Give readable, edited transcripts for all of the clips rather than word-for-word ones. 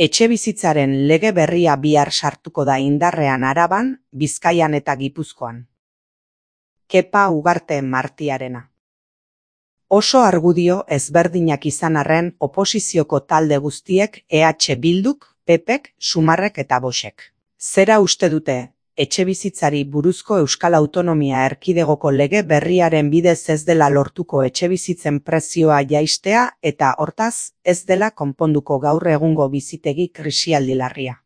Etxebizitzaren lege berria bihar sartuko da indarrean Araban, Bizkaian eta Gipuzkoan. Kepa Ugarte Martiarena. Oso argudio ezberdinak izan arren oposizioko talde guztiek EH Bilduk, PPek, Sumarrek eta Voxek. Zera uste dute, etxebizitzari buruzko Euskal Autonomia Erkidegoko lege berriaren bidez ez dela lortuko etxebizitzen prezioa jaistea eta hortaz ez dela konponduko gaur egungo bizitegi krisialdi larria.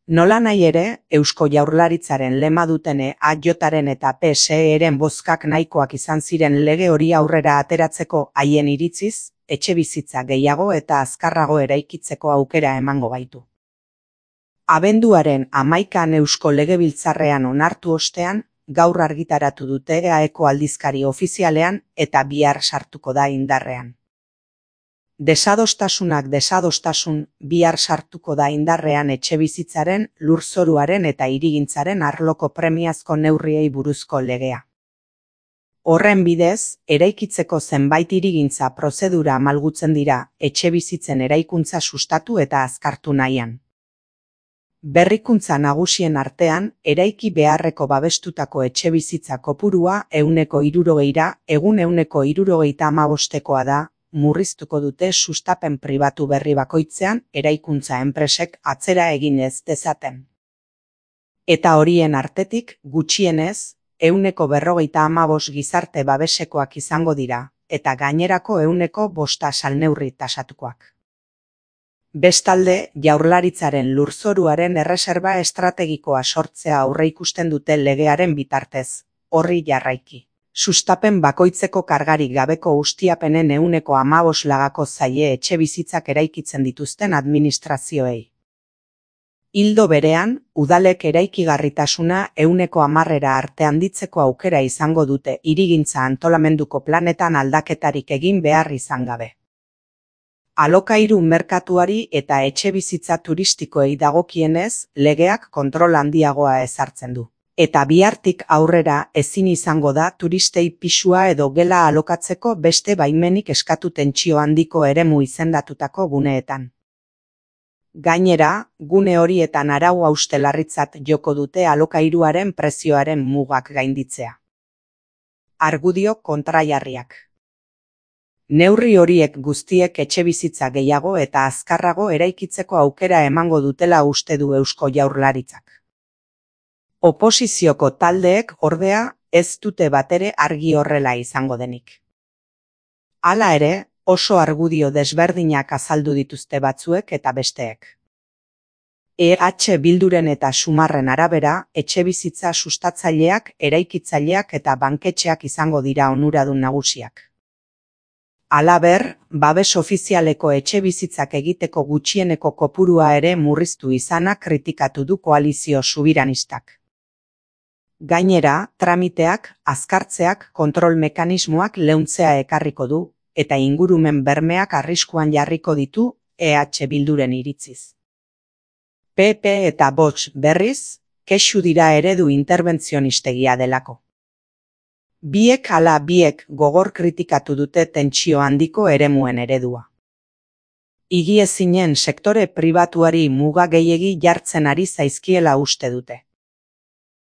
Nola nahi ere, Eusko Jaurlaritzaren lema dutene AJren eta PSEren bozkak nahikoak izan ziren lege hori aurrera ateratzeko haien iritziz, etxebizitza gehiago eta azkarrago eraikitzeko aukera emango baitu. Abenduaren 11an Eusko Legebiltzarrean onartu ostean, gaur argitaratu dute EAeko aldizkari ofizialean eta bihar sartuko da indarrean. Desadostasun bihar sartuko da indarrean etxebizitzaren, lurzoruaren eta hirigintzaren arloko premiazko neurriei buruzko legea. Horren bidez, eraikitzeko zenbait hirigintza prozedura malgutzen dira etxebizitzen eraikuntza sustatu eta azkartu nahian. Berrikuntza nagusien artean, eraiki beharreko babestutako etxebizitza kopurua 160ra, egun 175koa da, murriztuko dute sustapen pribatu berri bakoitzean eraikuntza enpresek atzera egin ez dezaten. Eta horien artetik, gutxienez, 155 gizarte babesekoak izango dira, eta gainerako 105 salneurri tasatukoak. Bestalde, Jaurlaritzaren lurzoruaren erreserba estrategikoa sortzea aurreikusten dute legearen bitartez, horri jarraiki. Sustapen bakoitzeko kargarik gabeko ustiapenen 115 lagako zaie etxebizitzak eraikitzen dituzten administrazioei. Ildo berean, udalek eraikigarritasuna 110ra arte handitzeko aukera izango dute hirigintza antolamenduko planetan aldaketarik egin behar izan gabe. Alokairu merkatuari eta etxebizitza turistikoei dagokienez, legeak kontrol handiagoa ezartzen du. Eta bihartik aurrera ezin izango da turistei pisua edo gela alokatzeko beste baimenik eskatu tentsio handiko eremu izendatutako guneetan. Gainera, gune horietan arau hauste larritzat joko dute alokairuaren prezioaren mugak gainditzea. Argudio kontrajarriak. Neurri horiek guztiek etxebizitza gehiago eta azkarrago eraikitzeko aukera emango dutela uste du Eusko Jaurlaritzak. Oposizioko taldeek ordea ez dute batere argi horrela izango denik. Hala ere, oso argudio desberdinak azaldu dituzte batzuek eta besteek. EH Bilduren eta Sumarren arabera, etxebizitza sustatzaileak, eraikitzaileak eta banketxeak izango dira onuradun nagusiak. Halaber, babes ofizialeko etxebizitzak egiteko gutxieneko kopurua ere murriztu izana kritikatu du koalizio subiranistak. Gainera, tramiteak, azkartzeak, kontrol mekanismoak leuntzea ekarriko du, eta ingurumen bermeak arriskuan jarriko ditu EH Bilduren iritziz. PP eta Vox berriz, kexu dira eredu interbentzionistea delako. Biek gogor kritikatu dute tentsio handiko eremuen eredua. Higiezinen sektore pribatuari muga gehiegi jartzen ari zaizkiela uste dute.